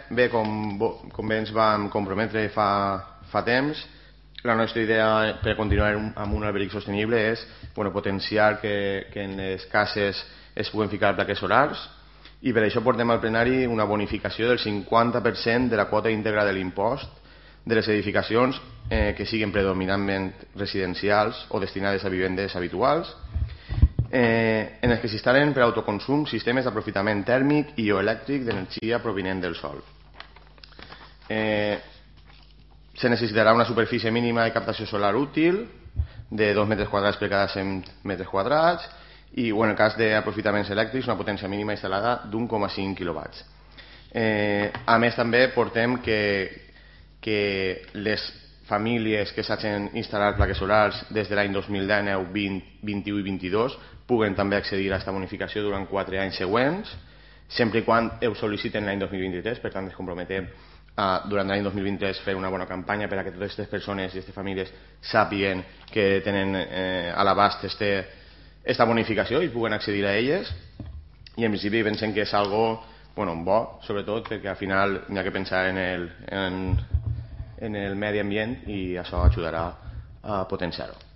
Bé, com bé ens vam comprometre fa temps, la nostra idea per continuar amb un alberic sostenible és potenciar que en les cases es puguen ficar plaques solars, i per això portem al plenari una bonificació del 50% de la quota íntegra de l'impost de les edificacions que siguin predominantment residencials o destinades a vivendes habituals, en els que s'instal·len per autoconsum sistemes d'aprofitament tèrmic i o elèctric d'energia provinent del sol. Se necessitarà una superfície mínima de captació solar útil de 2 metres quadrats per cada 100 metres quadrats i en el cas d'aprofitaments elèctrics una potència mínima instal·lada d'1,5 kW. A més també portem que les famílies que s'hagin instal·lat plaques solars des de l'any 2019, 20, 21 i 22 puguen també accedir a aquesta bonificació durant 4 anys següents, sempre i quan ho sol·liciten l'any 2023. Per tant, ens comprometem durant l'any 2023 fer una bona campanya per a que totes aquestes persones i aquestes famílies sàpiguen que tenen a l'abast aquesta bonificació i puguen accedir a elles. I en principi pensem que és algo bo, sobretot perquè al final hi ha que pensar en el medi ambient i això ajudarà a potenciar-ho.